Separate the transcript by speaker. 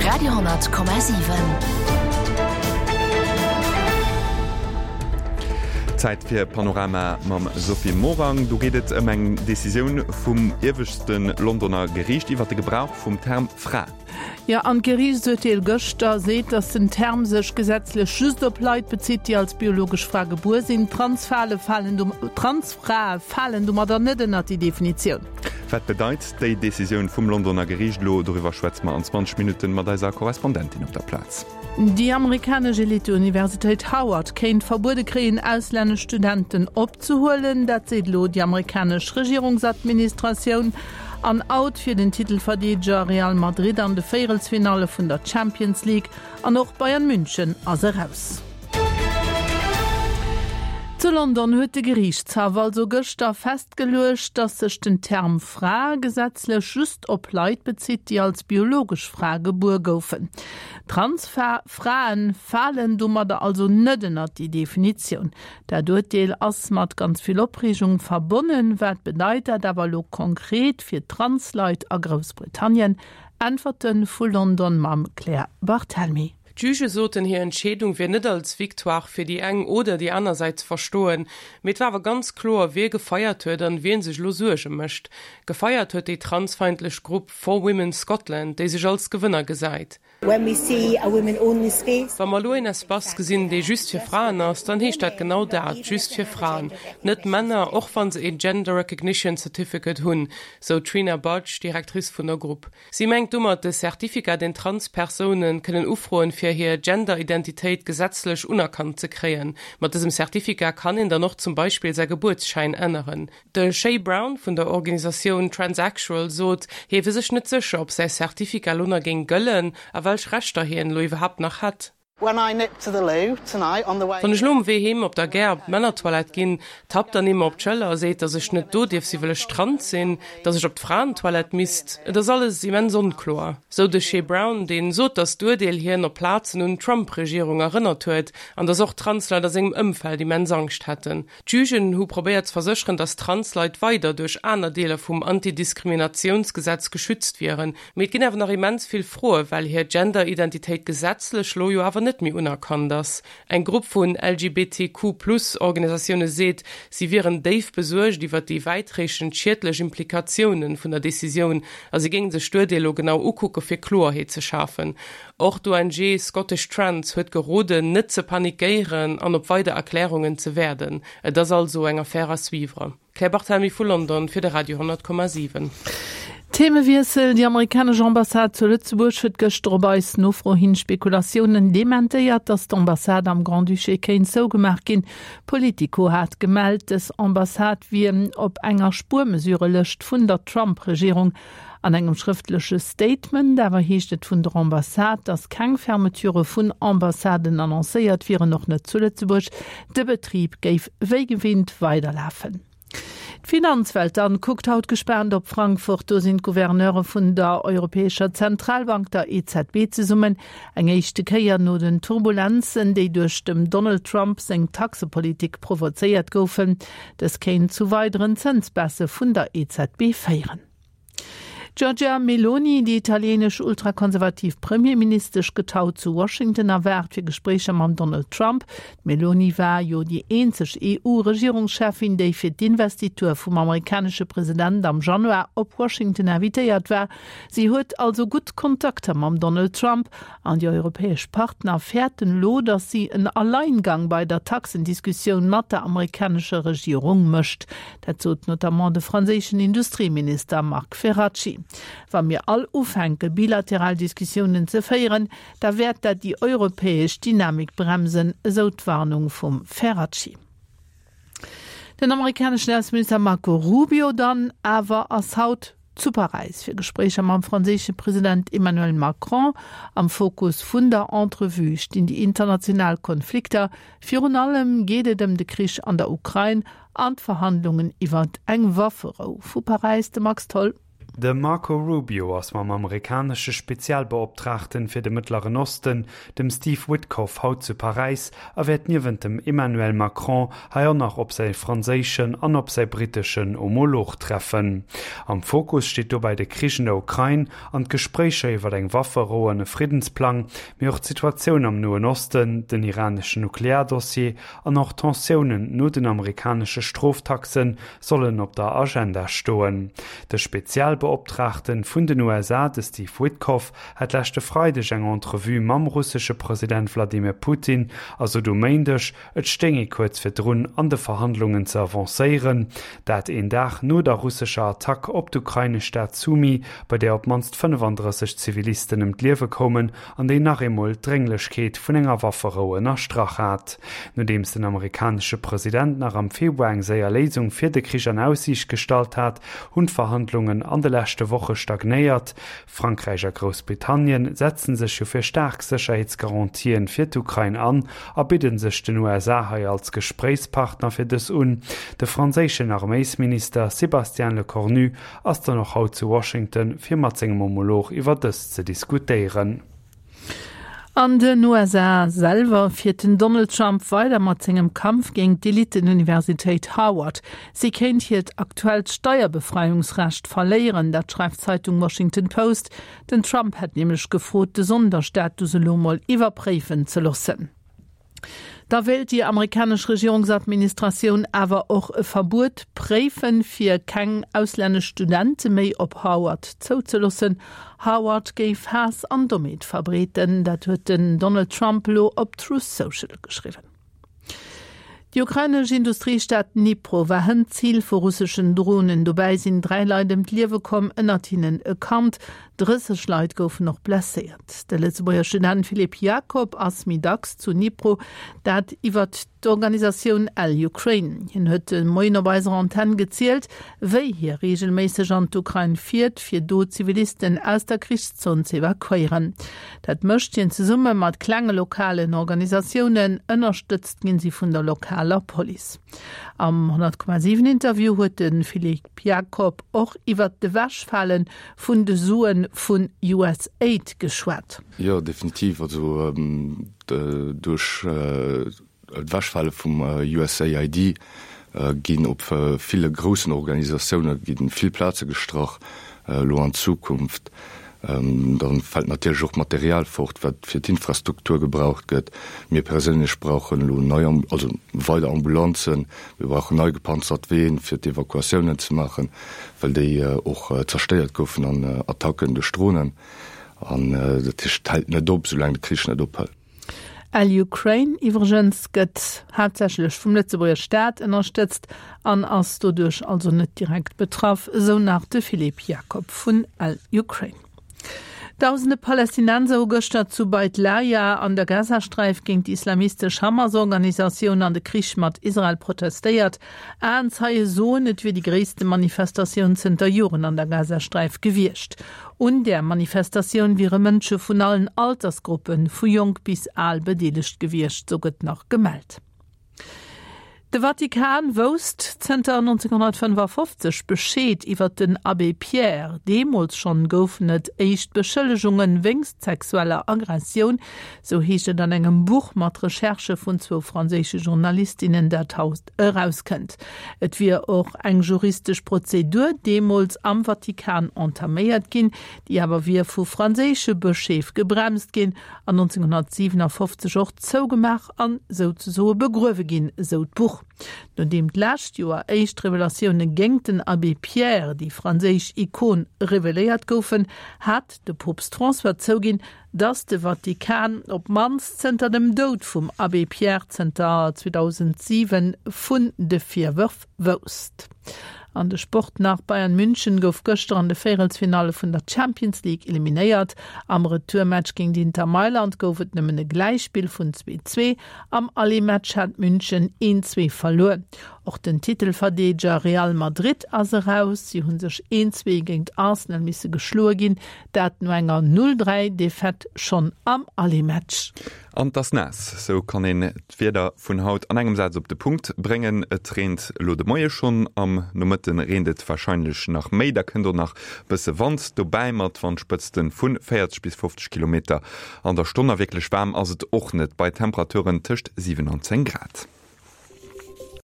Speaker 1: Radio,7.
Speaker 2: Zäit fir Panorama mam Sophie Morang. Do geet et ëm eng Decisioun vum ieweschte Londoner Geriicht iwwer de Gebrauch vum Term Fra.
Speaker 3: Jo, an d'Geriichtsurteel gëschter seet, datt den Term sech gesetzlech just op Leit bezitt, déi als biologesch Fra gebuer sinn. Transfrae falen domadder net ënnert déi Definitioun.
Speaker 2: Wat bedeit déi Decisioun vum Londoner Geriicht elo? Doriwwer schwätze mer an 20 Minutten mat eiser Korrespondentin op der Plaz.
Speaker 3: Déi amerikanesch Elite-Universitéit Howard kéint verbuede kréien, auslännesch Studenten opzehuelen. Dat seet elo déi amerikanesch Regierungsadministratioun. An Out fir den Titelverdeedeger Real Madrid an de Véierelsfinalle vun der Champions League. An och Bayern München ass eraus. Zu London huet de Geriichtshaff also gëschter festgeluecht, datt sech den Term Fra gesetzlech just op Leit bezitt, déi als biologesch Fra gebuer goufen. Transfrae falen domadder also net ënnert déi Definitioun. Dat Urteel ass mat ganz vill Opreegung verbonnen. Wat bedeit dat awer elo konkret fir Transleit a Groussbritannien? Äntwerte vu London mam Claire Barthelmy.
Speaker 4: D'Juge soten, hir Entscheedung wier net als Victoire fir déi eng oder déi aner Säit ze verstoen, mee et war awer ganz kloer, wie gefeiert huet an wien sech elo Suerge mécht. Gefeiert huet déi transfeindlech Grupp For Women Scotland, déi sech als Gewënner gesäit. Wa mer elo een Espace gesinn, dee just fir Fraen ass, dann heescht dat genau dat, just fir Fraen, net Männer, och wa se een Gender Recognition Certificate hunn, sou d'Trina Budge, Directrice vun der Grupp. Si mengt domat de Certificat, deen Trans-Persoune kënnen ufroen, fir hir Gender-Identitéit gesetzlech unerkannt ze kréien. Mat dësem Certificat kann een dann och zum Beispill säi Gebuertsschäin änneren. De Shay Brown vun der Organisatioun Transaxual sot, hie wier sech net sécher, ob säi Certificat lo nach géing gëllen a welch Rechter hien elo iwwerhaapt nach hätt. Wann ech elo um Wee heem op der Gare op d'Männertoilette ginn, tappt dann ee mer op d'Schëller a seet, dass ech net do dierf si wëll ech trans sinn, dass ech op d'Fraentoilette misst. Et ass alles immens onkloer, sou de Che Brown, deen sot, dass d'Urteel hien op Plazen un d'Trump-Regierung erënnert huet an dass och Transleit a sengem Ëmfeld immens Angscht hätten. D'Jugen hu probéiert ze versécheren, datt Transleit weider duerch aner Deeler vum Antidiskriminatiounsgesetz geschützt wieren. Mee et ginn awer nach immens vill Froe well hir Gender-Identitéit gesetzlech lo jo awer net méi unerkannt ass. Eng Grupp vun LGBTQ-Plus-Organisatioune seet, si wieren déif besuergt iwwer déi wäitreechend schiedlech Implikatioune vun der Decisioun a si géinge sech d'Urteel lo genau ukucke fir Kloerheet ze schafen. Och d'ONG Scottish Trans huet geroden, net ze panikéieren an op weider Erklärungen ze wäerden. Et ass also eng Affaire à suivre. Claire Barthelmy vu London fir de Radio 10,7.
Speaker 3: Themewiessel, Déi amerikanesch Ambassade zu Lëtzebuerg huet gëschter op eis Nofro hin Spekulatiounen dementéiert, datt d'Ambassade am Grand-Duché kéint zougemaach ginn. Politico hat gemellt, dës Ambassade wier op enger Spuermesurelëscht vun der Trump-Regierung. An engem schrëftleche Statement awer heescht et vun der Ambassade, datt keng Fermeture vun Ambassaden annoncéiert wieren, och net zu Lëtzebuerg. De Betrib géif wéi gewinnt weiderlafen. D'Finanzwelt dann kuckt haut gespaant op Frankfurt. Do sinn d'Gouverneure vun der Europäescher Zentralbank, der EZB, zesummen. Eng éischte Kéier no den Turbulenzen, déi duerch dem Donald Trump seng Taxepolitik provozéiert goufen. Dës kéint zu weideren Zënsbaisse vun der EZB féieren. D'Giorgia Meloni, déi italienesch ultrakonservativ Premierministesch, gëtt haut zu Washington erwaart fir Gespréicher mam Donald Trump. D'Meloni war jo déi eenzeg EU-Regierungscheffin, déi fir d'Investitur vum amerikanesche President am Januar op Washington invitéiert war. Si huet also gutt Kontakter mam Donald Trump an déi europäesch Partner fäerten elo, datt si en Alleingang bei der Taxendiskussioun mat der amerikanescher Regierung mécht. Dat sot notamment de franséischen Industrieminister Marc Ferracci. Wa mir all ufänke bilateral Diskussiounen ze féieren, da wäert dat déi europäesch Dynamik bremsen, esou d'Warnung vum Ferracci. Den amerikaneschen Ausseminister Marco Rubio dann awer ass haut zu Paräis fir Gespréicher mam franséische President Emmanuel Macron. Am Fokus vun der Entrevue stinn déi international Konflikter. Virun allem geet et ëm de Krich an der Ukrain an d'Verhandlungen iwwert eng Wafferou. Vu Paräis de Max Tholl.
Speaker 1: De Marco Rubio ass mam amerikanesche Spezialbeoptraagten fir de Mëttleren Osten, dem Steve Witkoff, haut zu Paräis a wäert niewent dem Emmanuel Macron hei och nach op säi franséischen an op säi britteschen Homolog treffen. Am Fokus steet dobäi de Krich an der Ukrain an d'Gespréicher iwwer eng Wafferou an e Friddensplang, mee och d'Situatioun am Noen Osten, den iraneschen Nukleardossier an och d'Tensiounen no den amerikanesche Stroftaxen sollen op der Agenda stoen. De Spezialbeoptraagten vun den USA, de Steve Witkoff, hat leschte Freideg eng Entrevue mam russesche President Wladimir Putin a sot um Méindeg, et stéing ee kuerz virdrun, an de Verhandlungen ze avancéieren. Dat een Dag no der russescher Attack op d'ukrainesch Stad Sumy, bei där op d'mannst 35 Zivilisten ëm d'Liewe koumen an déi nach eemol d'Drénglechkeet vun enger Wafferou ënnerstrach hat. Nodeems den amerikanesche President nach am Februar eng séier Léisung fir de Krich an Aussiicht gestallt hat, hunn d'Verhandlungen an de leschte Woche stagnéiert. Frankräich a Groussbritannien setzen sech jo fir staark Sécherheetsgarantien fir d'Ukrain an a bidde sech den USA hei als Gespréichspartner fir dës un. De franséischen Arméisminister Sébastien Lecornu ass dann och haut zu Washington, fir mat sengem Homolog iwwer dës ze diskutéieren.
Speaker 3: An den USA selwer fiert den Donald Trump weider mat sengem Kampf géint d'Eliten-Universitéit Harvard. Si kéint hiert aktuellt Steierbefreiungsrecht verléieren, dat schreift d'Zeitung Washington Post. Den Trump hätt nämlech gefrot, de Sonderstatus elo mol iwwerpréifen ze loossen. Da wéilt déi amerikanesch Regierungsadministratioun awer och e Verbuet préifen, fir keng auslännesch Studente méi op Harvard zouzeloossen. Harvard géif Haass an Dommheet verbreeten, dat huet den Donald Trump elo op Truth Social geschriwwen. Déi ukrainesch Industriestad Dnipro war hënt Zil vu russeschen Dronen. Dobäi sinn 3 Leit ëm d'Liewe komm, ënnert hinnen e Kand. 30 Leit goufen och blesséiert. De Lëtzebuerger Student Philippe Jacob ass méi dacks zu Dnipro, dat iwwert d'Organisatioun L-Ukraine. Hien huet de Moien op eiser Antenn gezielt, wéi hie reegelméisseg an d'Ukrain fiert, fir do Zivilisten aus der Krichszon ze evakuéieren. Dat mécht hien zesumme mat klenge lokalen Organisatiounen, ënnerstëtzt ginn si vun der lokaler Police. Am 100,7 Interview huet de Philippe Jacob och iwwert d'Ewechfale vun de Sue vun USAID geschwat.
Speaker 5: Jo, definitiv. Also duerch d'Ewechfale vum USAID ginn op ville groussen Organisatioune gi vill Plaze gestrach elo an Zukunft. Da fält natierlech och Material fort, wat fir d'Infrastruktur gebraucht gëtt. Mir perséinlech brauchen elo nei, also weider Ambulanzen, mir brauchen nei gepanzert Ween, fir d'Evakuatiounen ze maachen, well déi och zerstéiert goufen an Attacken duerch Dronen. An dat heescht, et hält net op, soulaang de Krich net ophält.
Speaker 3: L-Ukraine iwwregens gëtt haaptsächlech vum Lëtzebuerger Staat ënnerstëtzt an ass doduerch also net direkt betraff, esou nach de Philippe Jacob vun L-Ukraine. Dausende Palästinenser hu gëschter zu Beit Lahia an der Gazasträif géint déi islamistesch Hamas-Organisatioun an de Krich mat Israel protestéiert. Aenzeie soen, et wier déi gréisste Manifestatioun zënter Joren an der Gazasträif gewiescht. Un där Manifestatioun wiere Mënsche vun allen Altersgruppen, vu jonk bis al, bedeelegt gewiescht, sou gëtt nach gemellt. De Vatikan wousst zënter 1955 Bescheed iwwer den Abbé Pierre. Deemools schonn goufen et éischt Beschëllegunge wéinst sexueller Aggressioun, sou heescht et an engem Buch mat Recherchë vun zwou franséische Journalistinnen, dat haut erauskënnt. Et wier och eng juristesch Prozedur deemools am Vatikan entaméiert ginn, déi awer wier vu franséische Bëscheef gebremst ginn an 1957 och zougemaach an souzesoe begruewe ginn, esou d'Buch. Nodeem d'lescht Joer éischt Revelatioune géingt den Abbé Pierre, déi franséisch Ikon, reveléiert goufen, hat de Poopst François zouginn, datt de Vatikan op d'mannst zënter dem Doud vum Abbé Pierre zënter 2007 vun de Virwërf wousst. An de Sport nach, Bayern München gouf gëschter an de Véierelsfinalle vun der Champions League eliminéiert. Am Retourmatch géint Inter Mailand gouf et nëmmen e Gläichspill vun 2, 2. Am Aller-Match hat München 1, 2 verluer. Och den Titelverdeedeger Real Madrid ass eraus. Si hu sech 1, 2 géint Arsenal misse geschloe ginn, dat no enger 0, 3 Defaite schonn am Aller-Match.
Speaker 2: An 't ass naass, sou kann een d'Wieder vun haut an engem Saz op de Punkt bréngen. Et reent elo de Moie schonn, am Nomëtte reent et warscheinlech nach méi. Da kënnt och nach bësse Wand dobäi mat Wandspëtzte vu 40 bis 50 Kilometer an der Stonn. A wierklech waarm ass et och net, bei Temperaturen tëscht 7 an 10 Grad.